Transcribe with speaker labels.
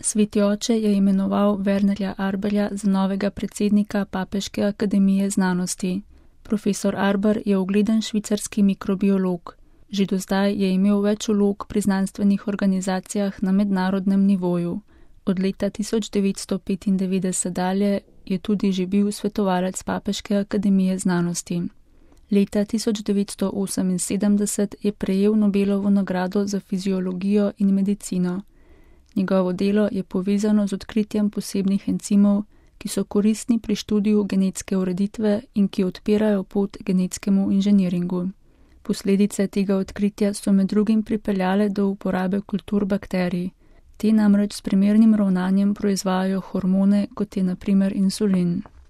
Speaker 1: Sveti oče je imenoval Wernerja Arberja za novega predsednika Papeške akademije znanosti. Profesor Arber je ugleden švicarski mikrobiolog. Že do zdaj je imel več vlog pri znanstvenih organizacijah na mednarodnem nivoju. Od leta 1995 dalje je tudi že bil svetovalec Papeške akademije znanosti. Leta 1978 je prejel Nobelovo nagrado za fiziologijo in medicino. Njegovo delo je povezano z odkritjem posebnih encimov, ki so koristni pri študiju genetske ureditve in ki odpirajo pot genetskemu inženiringu. Posledice tega odkritja so med drugim pripeljale do uporabe kultur bakterij. Te namreč s primernim ravnanjem proizvajajo hormone, kot je na primer insulin.